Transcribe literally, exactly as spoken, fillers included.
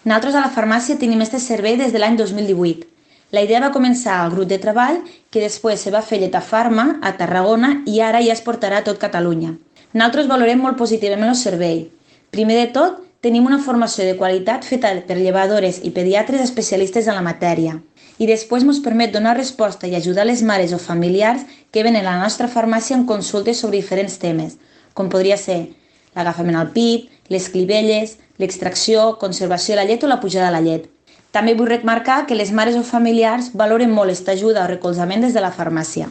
Nosaltres a la farmàcia tenim aquest servei des de l'any dos mil divuit. La idea va començar al grup de treball, que després se va fer Lletafarma a Tarragona i ara ja es portarà a tot Catalunya. Nosaltres valorem molt positivament el servei. Primer de tot, tenim una formació de qualitat feta per llevadores i pediatres especialistes en la matèria. I després ens permet donar resposta i ajudar les mares o familiars que venen a la nostra farmàcia en consultes sobre diferents temes, com podria ser l'agafament al pit, les clivelles, l'extracció, conservació de la llet o la pujada de la llet. També vull remarcar que les mares o familiars valoren molt aquesta ajuda o recolzament des de la farmàcia.